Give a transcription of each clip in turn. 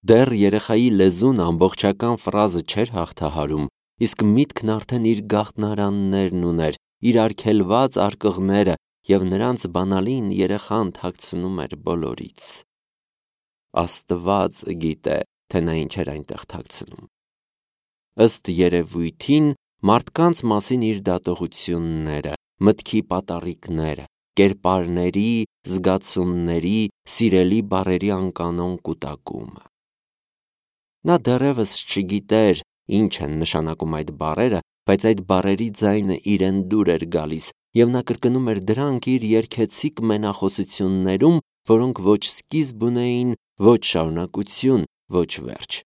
Դեռ երեխայի լեզուն ամբողջական ֆրազը չէր հաղթահարում, իսկ միտքն արդեն իր գաղտնարաններն ուներ, իր արգելված արկղները, և նրանց բանալին երեխան թաքցնում էր բոլորից։ Աստված գիտե, թե նա ինչ էր այնտեղ թաքցնում։ Ըստ երևույթին, մարդկանց մասին իր դատողությունները, մտքի պատառիկները, կերպարների, զգացումների, սիրելի բառերի անկանոն կուտակումը։ Նա դեռևս չգիտեր, ինչ են նշանակում այդ բառերը, բայց այդ բառերի ձայնը իրեն դուր էր գալիս, և նա կրկնում էր դրանք իր երգեցիկ մենախոսություններում, որոնք ոչ սկիզբ ունեին, ոչ շարունակություն, ոչ վերջ։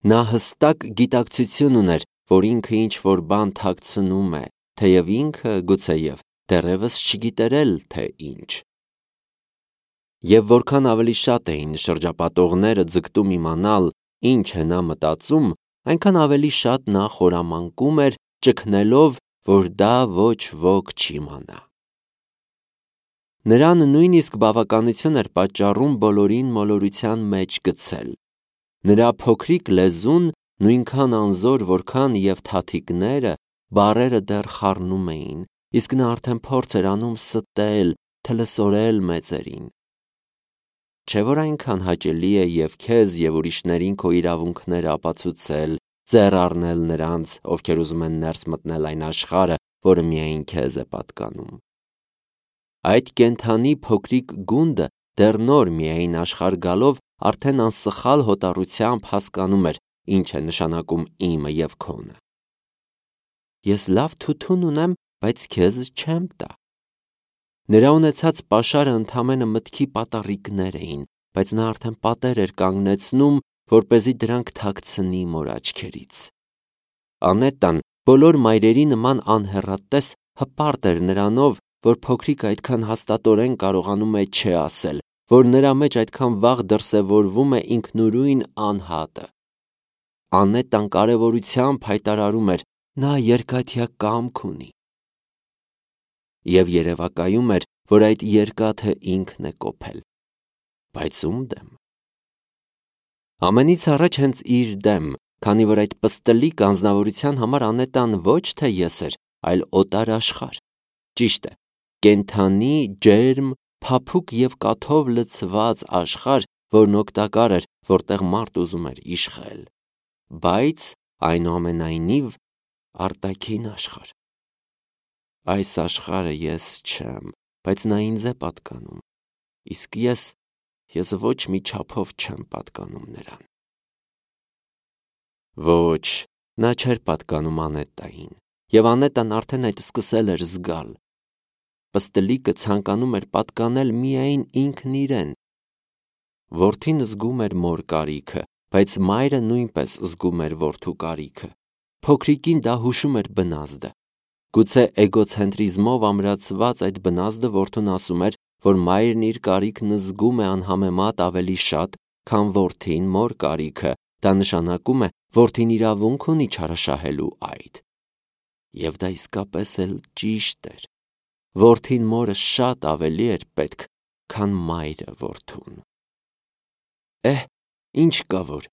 Նա հստակ գիտակցություն ուներ, որ ինքը ինչ-որ բան թաքցնում է, թեև ինքը գուցեև դեռևս չգիտեր էլ, թե ինչ։ Եվ որքան ավելի շատ էին շրջապատողները ձգտում իմանալ, ինչ է նա մտածում, այնքան ավելի շատ նա խորամանկում էր, ճգնելով, որ դա ոչ ոք չիմանա։ Նրան նույնիսկ բավականություն էր պատճառում բոլորին մոլորության մեջ գցել։ Նրա փոքրիկ լեզուն նույնքան անզոր, որքան և թաթիկները, բառերը դեռ խառնում էին, իսկ նա արդեն փորձ էր անում ստել, թլսորել մեծերին։ Չէ՞ որ այնքան հաճելի է և քեզ և ուրիշներին քո իրավունքները ապացուցել, ձեռ առնել նրանց, ովքեր ուզում են ներս մտնել այն աշխարհը, որը միայն քեզ է պատկանում։ Այդ կենդանի փոքրիկ գունդը դեռ նոր միայն աշխարհ գալով արդեն անսխալ հոտառությամբ հասկանում էր, ինչ է նշանակում իմը և քոնը։ Ես լավ թութուն ունեմ, բայց քեզ չեմ տա։ Նրա ունեցած պաշարը ընդամենը մտքի պատառիկներ էին, բայց նա արդեն պատեր էր կանգնեցնում, որպեսզի դրանք թաքցնի մոր աչքերից։ Անետան բոլոր մայրերի նման անհեռատես հպարտ էր նրանով, որ փոքրիկը այդքան հաստատորեն կարողանում է չէ ասել, որ նրա մեջ այդքան վաղ դրսևորվում է ինքնուրույն անհատը։ Անետան կարևորությամբ հայտարարում էր. նա երկաթյա կամք ունի։ Եվ երևակայում էր, որ այդ երկաթը ինքն է կոփել։ Բայց ում դեմ։ Ամենից առաջ հենց իր դեմ, քանի որ այդ պստլիկ անձնավորության համար Անետան ոչ թե ես էր, այլ օտար աշխարհ։ Ճիշտ է, կենդանի, ջերմ, փափուկ և կաթով լցված աշխարհ, որն օգտակար էր, որտեղ մարդ ուզում էր իշխել։ Բայց այնուամենայնիվ արտաքին աշխարհ։ Այս աշխարհը ես չեմ, բայց նա ինձ է պատկանում, իսկ ես ոչ մի չափով չեմ պատկանում նրան։ Ոչ, նա չէր պատկանում Անետային, և Անետան արդեն այդ սկսել էր զգալ։ Պստլիկը ցանկանում էր պատկանել միայն ինքն իրեն։ Որդին զգում էր մոր կարիքը, բայց մայրը նույնպես զգում էր որդու կարիքը։ Փոքրիկին դա հուշում էր բնազդը։ Գուցե էգոցենտրիզմով ամրացված այդ բնազդը որդուն ասում էր, որ մայրն իր կարիքն զգում է անհամեմատ ավելի շատ, քան որդին մոր կարիքը, դա նշանակում է, որդին իրավունք ունի չարաշահելու այդ։ Եվ դա իսկապես էլ ճիշտ էր։ Որդին մորը շատ ավելի էր պետք, քան մայրը որդուն։ Ինչ կա որ,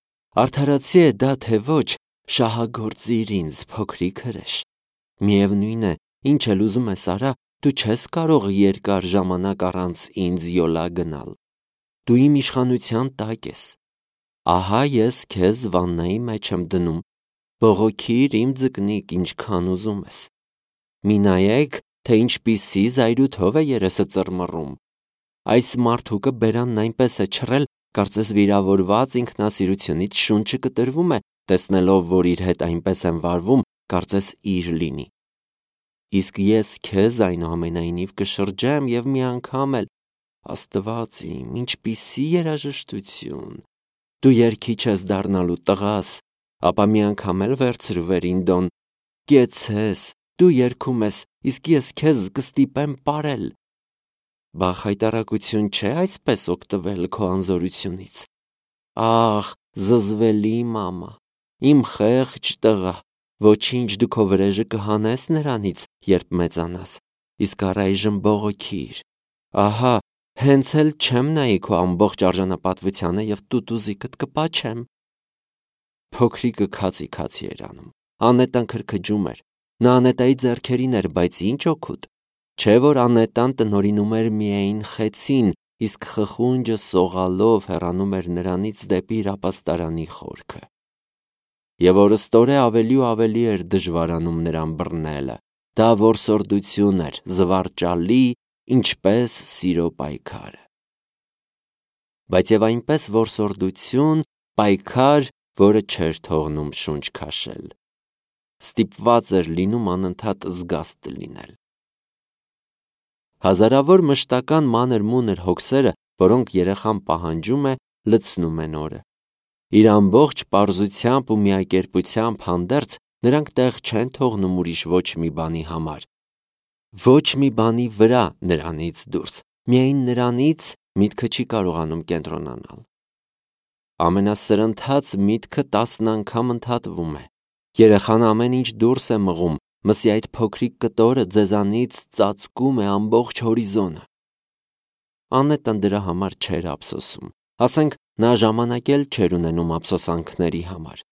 արդարացի է դա թե ոչ, շահագործիր ինձ, փոքրիկ հրեշ։ Միևնույն է, ինչ էլ ուզում ես արա, դու չես կարող երկար ժամանակ առանց ինձ յոլա գնալ։ Դու իմ իշխանության տակ ես։ Ահա ես քեզ վաննայի մեջ եմ դնում, բողոքիր իմ ձկնիկ ինչքան ուզում ես։ Մի նայեք, թե ինչպիսի զայրույթով է երեսը ծռմռում։ Այս մարդուկը բերանն այնպես է չռել, կարծես վիրավորված ինքնասիրությունից շունչը կտրվում է, տեսնելով, որ իր հետ այնպես են վարվում, կարծես իր լինի։ Իսկ ես քեզ այնուամենայնիվ կշրջեմ և մի անգամ էլ, Աստված իմ, ինչպիսի երաժշտություն։ Դու երգիչ ես դառնալու տղաս, ապա մի անգամ էլ վերցրու վերին դոն, կեցես, դու երգում ես, իսկ ես քեզ կստիպեմ պարել։ Բա խայտառակություն չէ այսպես օգտվել քո անզորությունից։ Ախ, զզվելի մամա, իմ խեղճ տղա, ոչինչ, դու քո վրեժը կհանես նրանից, երբ մեծանաս, իսկ առայժմ բողոքիր։ Ահա, Հենց էլ չեմ նայի քո ամբողջ արժանապատվությանը եւ տուտուզիկդ կպաչեմ։ Փոքրիկը քացի էր անում։ Անետան քրքջում էր։ Նա Անետայի ձեռքերին էր, բայց ինչ օգուտ։ Չէ որ Անետան տնորինում էր միայն խեցին, իսկ խխունջը սողալով հեռանում էր նրանից դեպի իր ապաստարանի խորքը։ Եվ օրըստօրե ավելի ու ավելի էր դժվարանում նրան բռնելը։ Դա որսորդություն էր, զվարճալի, ինչպես սիրո պայքարը։ Բայց եւ այնպես որսորդություն, պայքար, որը չէր թողնում շունչ քաշել։ Ստիպված էր լինում անընդհատ զգաստ լինել։ Հազարավոր մշտական մանր-մունր հոգսերը, որոնք երեխան պահանջում է, լցնում են օրը։ Իր ամբողջ պարզությամբ ու միակերպությամբ հանդերձ նրանք տեղ չեն թողնում ուրիշ ոչ մի բանի համար։ Ոչ մի բանի վրա նրանից դուրս, միայն նրանից միտքը չի կարողանում կենտրոնանալ։ Ամենասրընթաց միտքը 10 անգամ ընդհատվում է։ Երեխան ամեն ինչ դուրս է մղում, մսի այդ փոքրիկ կտորը ձեզանից ծածկում է ամբողջ հորիզոնը։ Անետան դրա համար չէր ափսոսում, ասենք նա ժամանակ էլ չէր ունենում ափսոսանքների համար։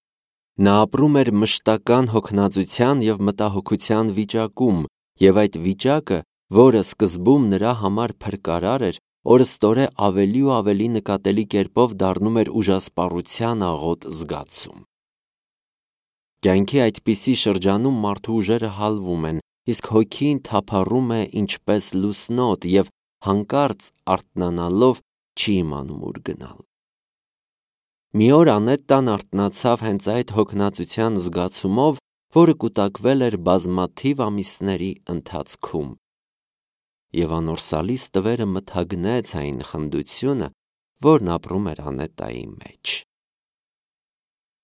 Նա ապրում էր մշտական հոգնածության և մտահոգության վիճակում, և այդ վիճակը, որը սկզբում նրա համար փրկարար էր, օրըստօրե ավելի ու ավելի նկատելի կերպով դառնում էր ուժասպառության աղոտ զգացում։ Կյանքի այդպիսի շրջանում մարդու ուժերը հալվում են, իսկ հոգին թափառում է ինչպես լուսնոտ և հանկարծ արթնանալով չի իմանում ուր գնալ։ Մի օր Անետան արթնացավ հենց այդ հոգնածության զգացումով, որը կուտակվել էր բազմաթիվ ամիսների ընթացքում։ Եվ անորսալի ստվերը մթագնեց այն խնդությունը, որն ապրում էր Անետայի մեջ։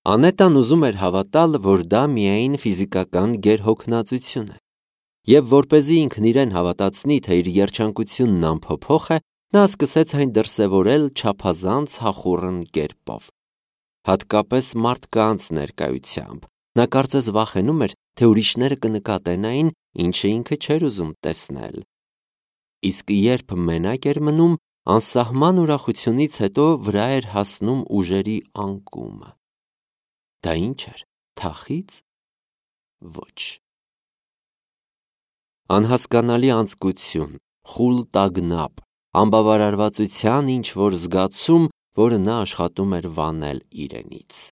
Անետան ուզում էր հավատալ, որ դա միայն ֆիզիկական գերհոգնածություն է։ Եվ որպեսզի ինքն իրեն հավատացնի, թե իր երջանկությունն անփոփոխ է, նա սկսեց այն դրսևորել չափազանց հախուռն կերպով։ Հատկապես մարդկանց ներկայությամբ։ Նա կարծես վախենում էր, թե ուրիշները կնկատեն այն, ինչը ինքը չէր ուզում տեսնել։ Իսկ երբ մենակ էր մնում, անսահման ուրախությունից հետո վրա էր հասնում ուժերի անկումը։ Դա ինչ էր, թախիծ։ Ոչ։ Անհասկանալի անձկություն, խուլ տագնապ, անբավարարվածության ինչ-որ զգացում, որը նա աշխատում էր վանել իրենից։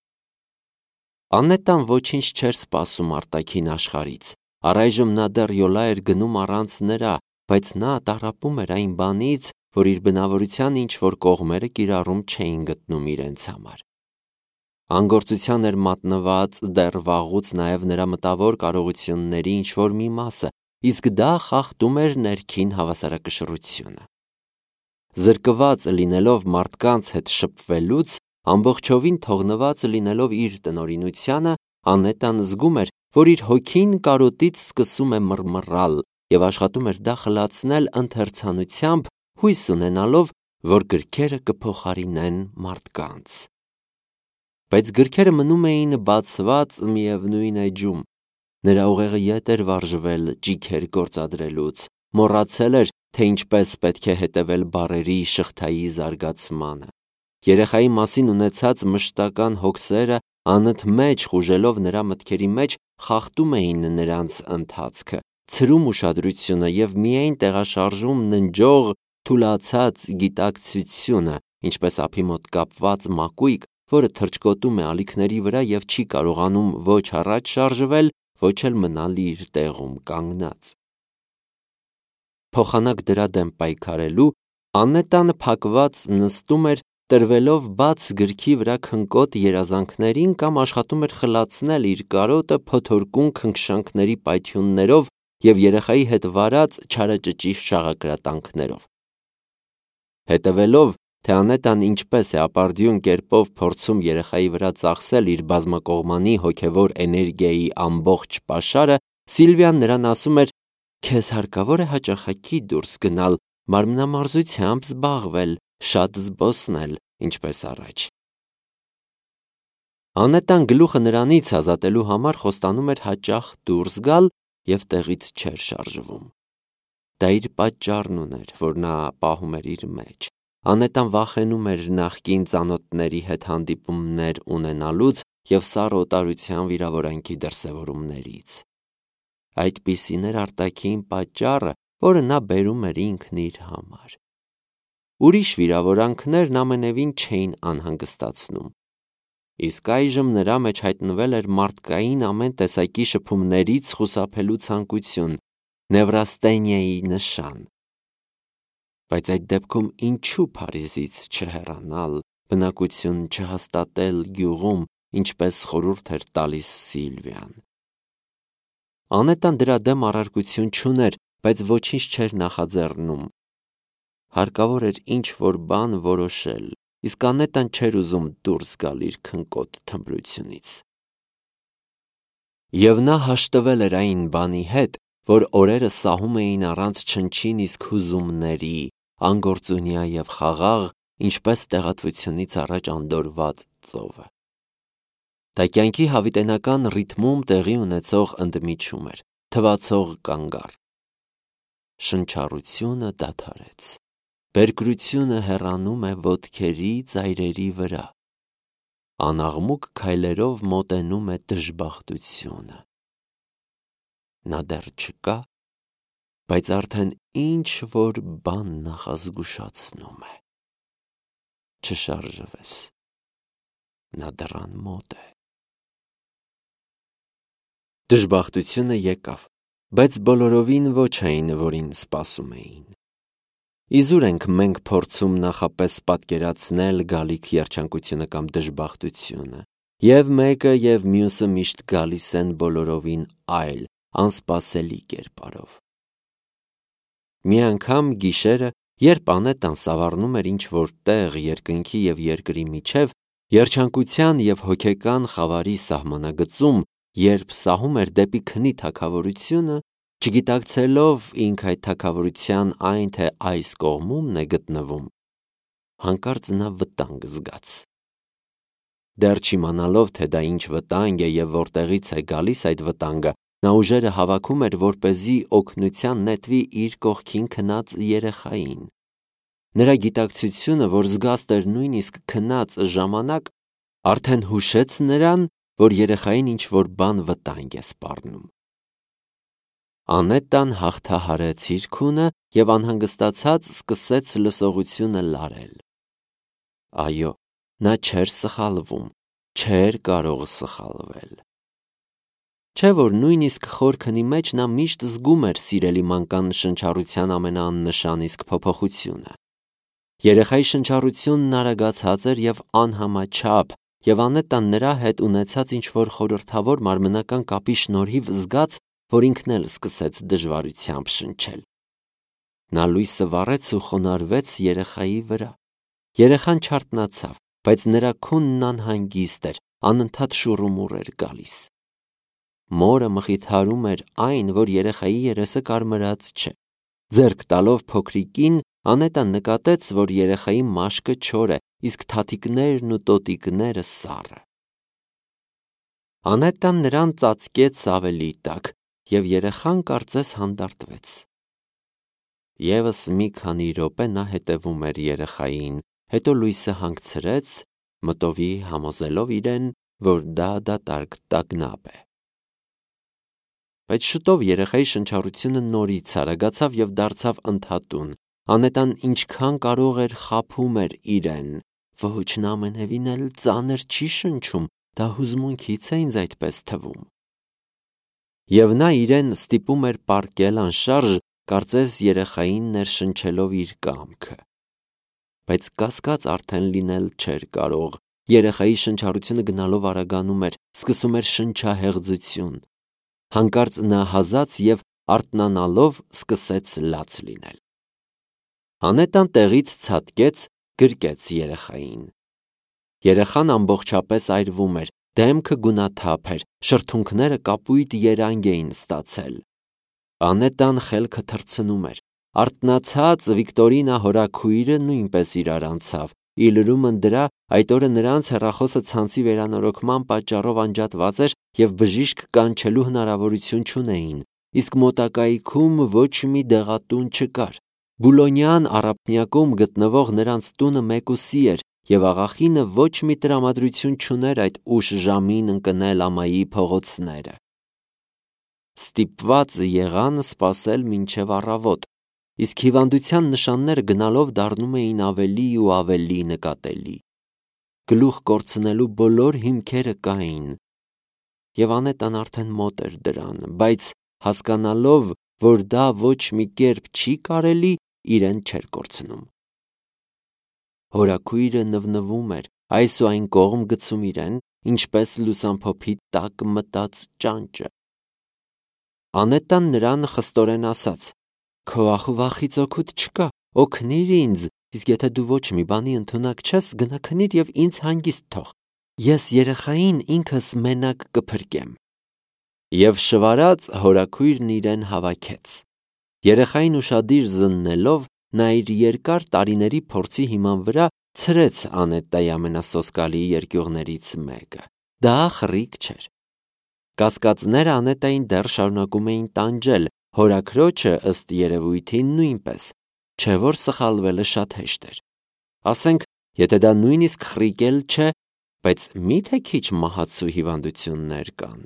Անետան ոչինչ չէր սպասում արտաքին աշխարհից։ Առայժմ նա դեռ յոլա էր գնում առանց նրա, բայց նա տառապում էր այն բանից, որ իր բնավորության ինչ-որ կողմերը կիրառում չէին գտնում իրենց համար։ Անգործության էր մատնված դեռ վաղուց նաև նրա մտավոր կարողությունների ինչ-որ մի մասը, իսկ դա խախտում էր ներքին հավասարակշռությունը։ Զրկված լինելով մարդկանց հետ շփվելուց, ամբողջովին թողնված լինելով իր տնօրինությանը, Անետան զգում էր, որ իր հոգին կարոտից սկսում է մռմռալ և աշխատում էր դա խլացնել ընթերցանությամբ, հույս ունենալով, որ գրքերը կփոխարինեն մարդկանց։ Բայց գրքերը մնում էին բացված միևնույն էջում։ Նրա ուղեղը ետ էր վարժվել ճիգեր գործադրելուց, մոռացել էր, թե ինչպես պետք է հետևել բառերի շղթայի զարգացմանը։ Երեխայի մասին ունեցած մշտական հոգսերը անընդմեջ խուժելով նրա մտքերի մեջ խախտում էին նրանց ընթացքը, ցրում ուշադրությունը և միայն տեղաշարժում ննջող թուլացած գիտակցությունը, ինչպես ափի մոտ կապված մակույկ, որը թռչկոտում է ալիքների վրա և չի կարողանում ոչ առաջ շարժվել, ոչ էլ մնալ իր տեղում կանգնած։ Փոխանակ դրա դեմ պայքարելու, Անետանը փակված նստում էր, տրվելով բաց գրքի վրա քնկոտ երազանքներին կամ աշխատում էր խլացնել իր կարոտը փոթորկուն քնքշանքների պայթյուններով և երեխայի հետ վարած չարաճճի շաղակրատանքներով։ Հետևելով, թե Անետան ինչպես է ապարդյուն կերպով փորձում երեխայի վրա ծախսել իր բազմակողմանի հոգևոր էներգիայի ամբողջ պաշարը, Սիլվիան նրան ասում էր. «Քեզ հարկավոր է հաճախակի դուրս գնալ, մարմնամարզությամբ զբաղվել, շատ զբոսնել, ինչպես առաջ»։ Անետան գլուխը նրանից ազատելու համար խոստանում էր հաճախ դուրս գալ և տեղից չէր շարժվում։ Դա իր պատճառն ուներ, որ նա պահում էր իր մեջ։ Անետան վախենում էր նախկին ծանոթների հետ հանդիպումներ ունենալուց և սառը օտարության վիրավորանքի դրսևորումներից։ Այդպիսին էր արտաքին պատճառը, որը նա բերում էր ինքն իր համար։ Ուրիշ վիրավորանքներն ամենևին չէին անհանգստացնում։ Իսկ այժմ նրա մեջ հայտնվել էր մարդկային ամեն տեսակի շփումներից խուսափելու ցանկություն, նևրաստենիայի նշան։ Բայց այդ դեպքում ինչու Փարիզից չհեռանալ, բնակություն չհաստատել գյուղում, ինչպես խորհուրդ էր տալիս Սիլվիան։ Անետան դրա դեմ առարկություն չուներ, բայց ոչինչ չէր նախաձեռնում։ Հարկավոր էր ինչ-որ բան որոշել, իսկ Անետան չէր ուզում դուրս գալ իր քնկոտ թմրությունից։ Եվ նա հաշտվել էր այն բանի հետ, որ օրերը սահում էին առանց չնչին իսկ հուզումների, անգործունյա և խաղաղ, ինչպես տեղատվությունից առաջ անդորրված ծովը։ Դա կյանքի հավիտենական ռիթմում տեղի ունեցող ընդմիջում էր, թվացող կանգառ։ Շնչառությունը դադարեց։ Բերկրությունը հեռանում է ոտքերի ծայրերի վրա։ Անաղմուկ քայլերով մոտենում է դժբախտությունը։ Նա դեռ չկա, բայց արդեն ինչ-որ բան նախազգուշացնում է։ Չշարժվես, նա դռան մոտ է։ Դժբախտությունը եկավ, բայց բոլորովին ոչ այն, որին սպասում էին։ Իզուր ենք մենք փորձում նախապես պատկերացնել գալիք երջանկությունը կամ դժբախտությունը, և մեկը և մյուսը միշտ գալիս են բոլորովին այլ, անսպասելի կերպարով։ Մի անգամ գիշերը, երբ Անետան սավառնում էր ինչ-որ տեղ երկնքի և երկրի միջև, երջանկության և հոգեկան խավարի սահմանագծում, երբ սահում էր դեպի քնի թագավորությունը, չգիտակցելով ինք այդ թագավորության այն թե այս կողմումն է գտնվում, հանկարծ նա վտանգ զգաց։ Դեռ չիմանալով, թե դա ինչ վտանգ է և որտեղից է գալիս այդ վտանգը, նա ուժերը հավաքում էր, որպեսզի օգնության նետվի իր կողքին քնած երեխային։ Նրա գիտակցությունը, որ զգաստ էր նույնիսկ քնած ժամանակ, արդեն հուշեց նրան, որ երեխային ինչ-որ բան վտանգ է սպառնում։ Անետան հաղթահարեց իր քունը և անհանգստացած սկսեց լսողությունը լարել։ Այո, նա չէր սխալվում, չէր կարող սխալվել։ Չէ՞ որ նույնիսկ խոր քնի մեջ նա միշտ զգում էր սիրելի մանկան շնչառության ամենաաննշան իսկ փոփոխությունը։ Երեխայի շնչառությունն արագացած էր և անհամաչափ, և Անետան նրա հետ ունեցած ինչ-որ խորհրդավոր մարմնական կապի շնորհիվ զգաց, որ ինքն էլ սկսեց դժվարությամբ շնչել։ Նա լույսը վառեց ու խոնարհվեց երեխայի վրա։ Երեխան չարթնացավ, բայց նրա քունն անհանգիստ էր, անընդհատ շուռումուռ էր գալիս։ Մորը մխիթարում էր այն, որ երեխայի երեսը կարմրած չէ։ Ձեռք տալով փոքրիկին, Անետան նկատեց, որ երեխայի մաշկը չոր է, իսկ թաթիկներն ու տոտիկները սառը։ Անետան նրան ծածկեց ավելի տաք, և երեխան կարծես հանդարտվեց։ Եվս մի քանի րոպե նա հետևում էր երեխային, հետո լույսը հանգցրեց, մտովի համոզելով իրեն, որ դա դատարկ տագնապ է։ Բայց շուտով երեխայի շնչառությունը նորից արագացավ և դարձավ ընդհատուն։ Անետան ինչքան կարող էր խաբում էր իրեն։ Ոչ, նա ամենևին էլ ծանր չի շնչում, դա հուզմունքից է ինձ այդպես թվում։ Եվ նա իրեն ստիպում էր պառկել անշարժ, կարծես երեխային ներշնչելով իր կամքը։ Բայց կասկած արդեն լինել չէր կարող։ Երեխայի շնչառությունը գնալով արագանում էր, սկսում էր շնչահեղձություն։ Հանկարծ նա հազաց և արթնանալով սկսեց լաց լինել։ Անետան տեղից ցատկեց, գրկեց երեխային։ Երեխան ամբողջապես այրվում էր, դեմքը գունաթափ էր, շրթունքները կապույտ երանգ էին ստացել։ Անետան խելքը թռցնում էր։ Արթնացած Վիկտորինա հորաքույրը նույնպես իրար անցավ։ Ի լրումն դրա, այդ օրը նրանց հեռախոսը ցանցի վերանորոգման պատճառով անջատված էր և բժիշկ կանչելու հնարավորություն չունեին։ իսկ մոտակայքում ոչ մի դեղատուն չկար։ Բուլոնյան առափնյակում գտնվող նրանց տունը մեկուսի էր, և աղախինը ոչ մի տրամադրություն չուներ այդ ուշ ժամին ընկնել ամայի փողոցները։ Ստիպված եղան սպասել մինչև առավոտ, իսկ հիվանդության նշանները գնալով դառնում էին ավելի ու ավելի նկատելի։ Գլուխ կորցնելու բոլոր հիմքերը կային, և Անետան արդեն մոտ էր դրան, բայց հասկանալով, որ դա ոչ մի կերպ չի կարելի, իրեն չէր կորցնում։ Հորաքույրը նվնվում էր, այս ու այն կողմ գցում իրեն, ինչպես լուսամփոփի տակ մտած ճանճը։ Անետան նրան խստորեն ասաց. «Քո ախուվախից օգուտ չկա, օգնիր ինձ, իսկ եթե դու ոչ մի բանի ընդունակ չես, գնա քնիր և ինձ հանգիստ թող, ես երեխային ինքս մենակ կփրկեմ»։ Եվ շվարած հորաքույրն իրեն հավաքեց։ Երեխային ուշադիր զննելով, նա իր երկար տարիների փորձի հիման վրա ցրեց Անետայի ամենասոսկալի երկյուղներից մեկը։ Դա խռիկ չէր։ Կասկածները Անետային դեռ շարունակում էին տանջել, հորաքրոջը ըստ երևույթին նույնպես, չէ որ սխալվելը շատ հեշտ էր։ Ասենք, եթե դա նույնիսկ խռիկ էլ չէ, բայց մի՞թե քիչ մահացու հիվանդություններ կան։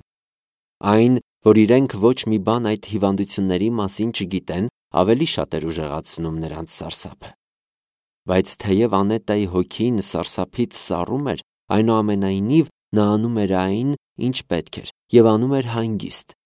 Այն, որ իրենք ոչ մի բան այդ հիվանդությունների մասին չգիտեն, ավելի շատ էր ուժեղացնում նրանց սարսափը։ Բայց թեև Անետայի հոգին սարսափից սառում էր, այնուամենայնիվ նա անում էր այն, ինչ պետք էր, և անում էր հանգիստ։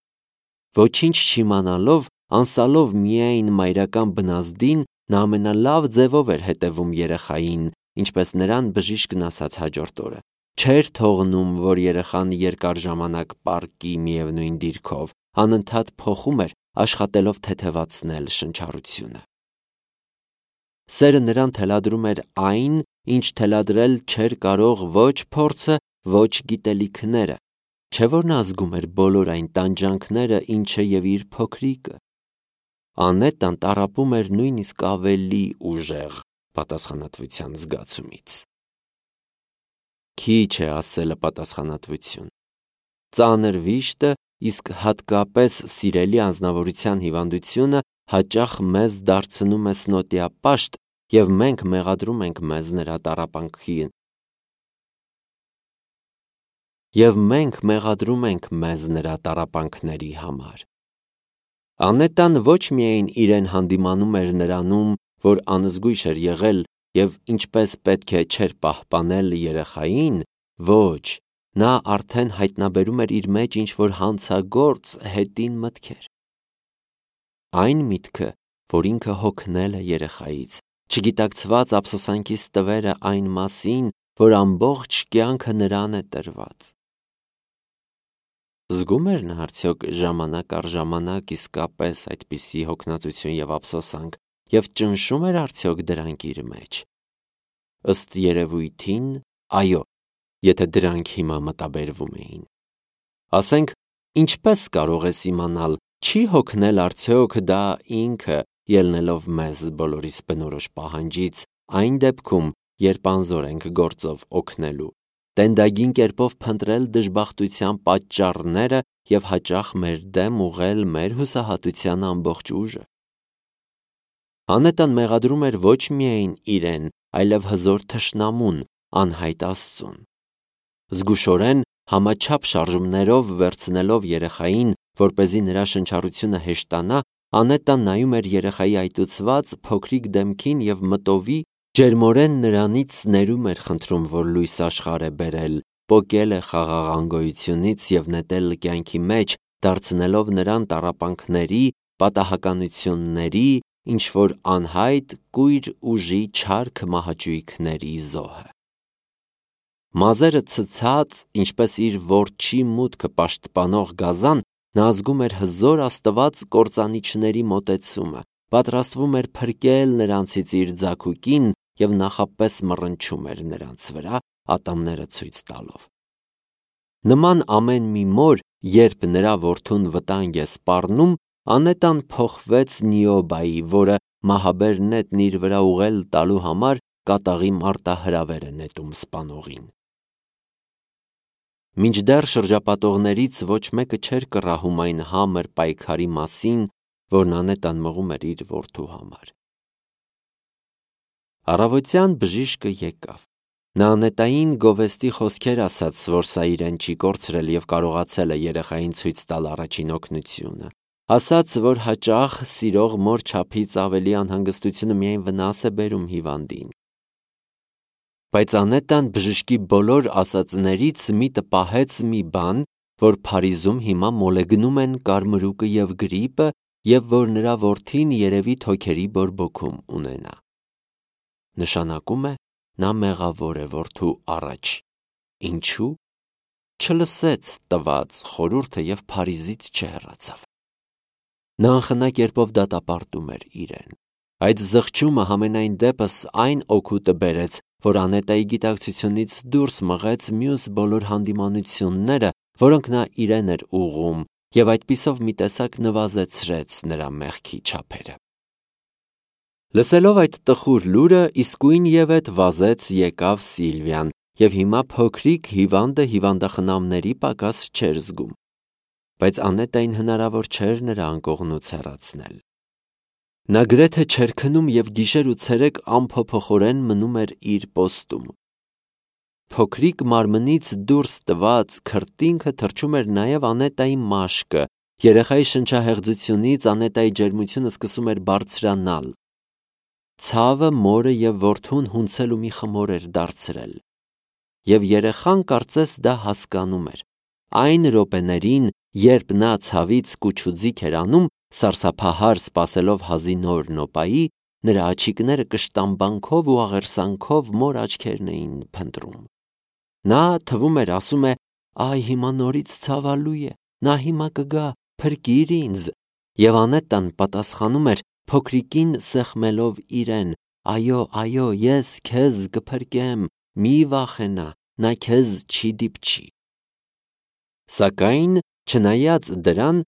Ոչինչ չիմանալով, անսալով միայն մայրական բնազդին, նա ամենալավ ձևով էր հետևում երեխային, ինչպես նրան բժիշկն ասաց հաջորդ օրը։ Չէր թողնում, որ երեխան երկար ժամանակ պառկի միևնույն դիրքով, անընդհատ փոխում էր, աշխատելով թեթևացնել շնչառությունը։ Սերը նրան թելադրում էր այն, ինչ թելադրել չէր կարող ոչ փորձը, ոչ գիտելիքները, չէ որ նա զգում էր բոլոր այն տանջանքները, ինչը և իր փոքրիկը։ Անետան տառապում էր նույնիսկ ավելի ուժեղ պատասխանատվության զգացումից։ Քիչ է ասելը պատասխանատվություն։ Ծանր վիշտը, իսկ հատկապես սիրելի անձնավորության հիվանդությունը հաճախ մեզ դարձնում է սնոտիապաշտ, և մենք մեղադրում ենք մեզ նրա տառապանքների համար։ Անետան ոչ միայն իրեն հանդիմանում էր նրանում, որ անզգույշ էր եղել և ինչպես պետք է չէր պահպանել երեխային, ոչ, նա արդեն հայտնաբերում էր իր մեջ ինչ-որ հանցագործ հետին մտքեր։ Այն միտքը, որ ինքը հոգնել է երեխայից, չգիտակցված ափսոսանքի ստվերը այն մասին, որ ամբողջ կյանքը նրան է տրված։ Զգում էր նա արդյոք ժամանակ առ ժամանակ իսկապես այդպիսի հոգնածություն և ափսոսանք և ճնշում էր արդյոք դրանք իր մեջ։ Ըստ երևույթին, այո, եթե դրանք հիմա մտաբերվում էին։ Ասենք, ինչպես կարող ես իմանալ, չի հոգնել արդյոք դա ինքը, ելնելով մեզ բոլորիս բնորոշ պահանջից, այն դեպքում, երբ անզոր ենք գործով օգնելու, տենդագին կերպով փնտրել դժբախտության պատճառները և հաճախ մեր դեմ ուղղել մեր հուսահատության ամբողջ ուժը։ Անետան մեղադրում էր ոչ միայն իրեն, այլև հզոր թշնամուն, անհայտ Աստծուն։ Զգուշորեն համաչափ շարժումներով վերցնելով երեխային, որպեսզի նրա շնչառությունը հեշտանա, Անետան նայում էր երեխայի այտուցված փոքրիկ դեմքին և մտովի ջերմորեն նրանից ներում էր խնդրում, որ լույս աշխարհ է բերել, պոկել է խաղաղ անգոյությունից և նետել կյանքի մեջ, դարձնելով նրան տառապանքների, պատահականությունների, ինչ-որ անհայտ կույր ուժի չարք մահաճույքների զոհը։ Մազերը ցցած, ինչպես իր որջի մուտքը պաշտպանող գազան, նա զգում էր հզոր աստված կործանիչների մոտեցումը, պատրաստվում էր փրկել նրանցից իր ձագուկին և նախապես մռնչում էր նրանց վրա, ատամները ցույց տալով։ Նման ամեն մի մոր, երբ նրա որդուն վտանգ է սպառնում, Անետան փոխվեց Նիոբայի, որը մահաբեր նետն իր վրա ուղղել տալու համար կատաղի մարտահրավեր է նետում սպանողին։ Մինչդեռ շրջապատողներից ոչ մեկը չէր կռահում այն համր պայքարի մասին, որն Անետան մղում էր իր որդու համար։ Առավոտյան բժիշկը եկավ։ Նա Անետային գովեստի խոսքեր ասաց, որ սա իրեն չի կորցրել և կարողացել է երեխային ցույց տալ առաջին օգնությունը։ Ասաց, որ հաճախ սիրող մոր չափից ավելի անհանգստությունը միայն վնաս է բերում հիվանդին։ Բայց Անետան բժշկի բոլոր ասածներից միտը պահեց մի բան, որ Փարիզում հիմա մոլեգնում են կարմրուկը և գրիպը և որ նրա որդին երևի թոքերի բորբոքում ունենա։ Նշանակում է, նա մեղավոր է որդու առաջ։ Ինչու՞։ Չլսեց տված խորհուրդը և Փարիզից չհեռացավ։ Նա անխնա կերպով դատապարտում էր իրեն։ Այդ զղջումը համենայն դեպս այն օգուտը բերեց, որ Անետայի գիտակցությունից դուրս մղեց մյուս բոլոր հանդիմանությունները, որոնք նա իրեն էր ուղղում, և այդպիսով մի տեսակ նվազեցրեց նրա մեղքի չափերը։ Լսելով այդ տխուր լուրը, իսկույնևեթ վազեց եկավ Սիլվիան, և հիմա փոքրիկ հիվանդը հիվանդախնամների պակաս չէր զգում։ Բայց Անետային հնարավոր չէր նրա անկողնուց հեռացնել։ Նա գրեթե չէր քնում և գիշեր ու ցերեկ անփոփոխորեն մնում էր իր պոստում։ Փոքրիկ մարմնից դուրս տված քրտինքը թրջում էր նաև Անետայի մաշկը, երեխայի շնչահեղձությունից Անետայի ջերմությունը սկսում էր բարձրանալ։ Ցավը մորը և որդուն հունցել ու մի խմոր էր դարձրել։ Եվ երեխան կարծես դա հասկանում էր։ Այն րոպեներին, երբ նա ցավից կուչուձիգ էր անում, սարսափահար սպասելով հազի նոր նոպայի, նրա աչիկները կշտամբանքով ու աղերսանքով մոր աչքերն էին փնտրում։ Նա թվում էր ասում է. «Այ հիմա նորից ցավալու է, նա հիմա կգա, փրկիր ինձ»։ Եվ Անետան պատասխանում էր փոքրիկին սեղմելով իրեն. «Այո, այո, ես քեզ կփրկեմ, մի վախենա, նա քեզ չի դիպչի»։ Սակայն, չնայած դրան,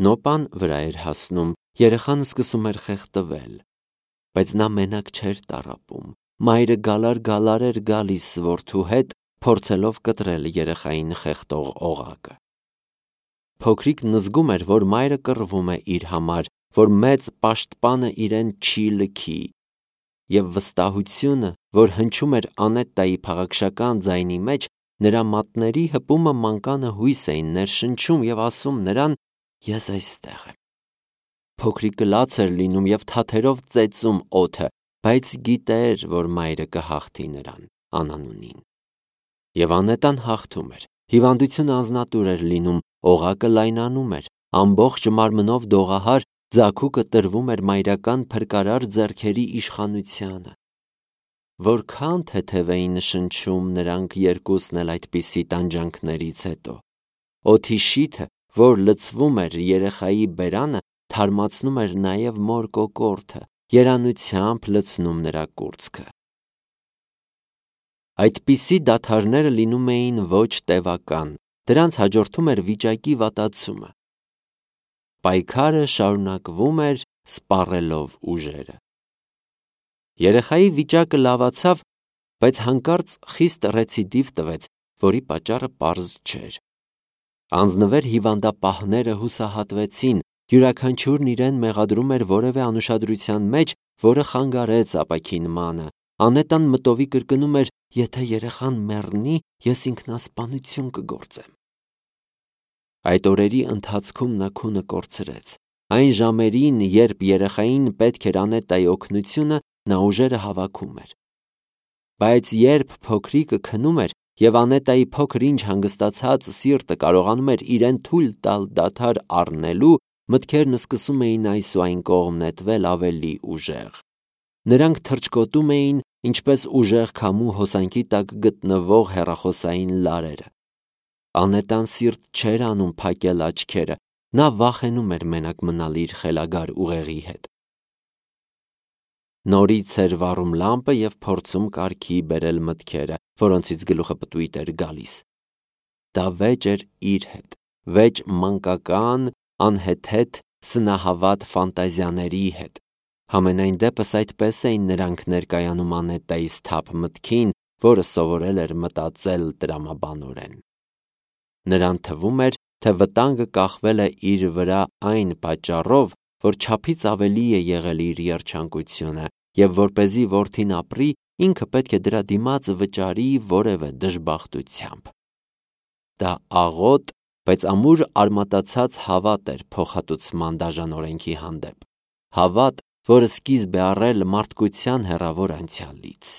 նոպան վրա էր հասնում, երեխան սկսում էր խեղդվել։ Բայց նա մենակ չէր տառապում։ Մայրը գալար էր գալիս որդու հետ, փորձելով կտրել երեխային խեղդող օղակը։ Փոքրիկն զգում էր, որ մայրը կռվում է իր համար, որ մեծ պաշտպանը իրեն չի լքի, և վստահությունը, որ հնչում էր Անետայի փաղաքշական ձայնի մեջ, նրա մատների հպումը մանկանը հույս էին ներշնչում և ասում նրան. «Ես այստեղ եմ»։ Փոքրիկը լաց էր լինում և թաթերով ծեծում օդը, բայց գիտեր, որ մայրը կհաղթի նրան, անանունին։ Եվ Անետան հաղթում էր։ Հիվանդությունը անձնատուր էր լինում, օղակը լայնանում էր, ամբողջ մարմնով դողահար, ձագուկը տրվում էր մայրական փրկարար ձեռքերի իշխանությանը։ Որքան թեթև էին շնչում նրանք երկուսն էլ այդպիսի տանջանքներից հետո։ Օդի շիթը, որ լցվում էր երեխայի բերանը, թարմացնում էր նաև մոր կոկորդը, երանությամբ լցնում նրա կուրծքը։ Այդպիսի դադարները լինում էին ոչ տևական, դրանց հաջորդում էր վիճակի վատացումը։ Պայքարը շարունակվում էր սպառելով ուժերը։ Երեխայի վիճակը լավացավ, բայց հանկարծ խիստ ռեցիդիվ տվեց, որի պատճառը պարզ չէր։ Անձնվեր հիվանդապահները հուսահատվեցին, յուրաքանչյուրն իրեն մեղադրում էր որևէ անուշադրության մեջ, որը խանգարեց ապաքինմանը։ Անետան մտովի կրկնում էր. «Եթե երեխան մեռնի, ես ինքնասպանություն կգործեմ»։ Այդ օրերի ընթացքում նա քունը կորցրեց։ Այն ժամերին, երբ երեխային պետք էր Անետայի օգնությունը, նա ուժերը հավաքում էր։ Բայց երբ փոքրիկը քնում էր, և Անետայի փոքր-ինչ հանգստացած սիրտը կարողանում էր իրեն թույլ տալ դադար առնելու, մտքերն սկսում էին այս ու այն կողմ նետվել ավելի ուժեղ։ Նրանք թռչկոտում էին, ինչպես ուժեղ քամու հոսանքի տակ գտնվող հեռախոսային լարերը։ Անետան սիրտ չէր անում փակել աչքերը, նա վախենում էր մենակ մնալ իր խելագար ուղեղի հետ։ Նորից էր վառում լամպը և փորձում կարգի բերել մտքերը, որոնցից գլուխը պտույտ էր գալիս։ Դա վեճ էր իր հետ, վեճ մանկական, անհեթեթ, սնահավատ ֆանտազիաների հետ։ Համենայն դեպս այդպես էին նրանք ներկայանում Անետայի սթափ մտքին, որը սովորել էր մտածել տրամաբանորեն։ Նրան թվում էր, թե վտանգը կախվել է իր վրա այն պատճառով, որ չափից ավելի է եղել իր երջանկությունը, և որպեսզի որդին ապրի, ինքը պետք է դրա դիմաց վճարի որևէ դժբախտությամբ։ Դա աղոտ, բայց ամուր արմատացած հավատ էր փոխհատուցման դաժան օրենքի հանդեպ, հավատ, որը սկիզբ է առել մարդկության հեռավոր անցյալից։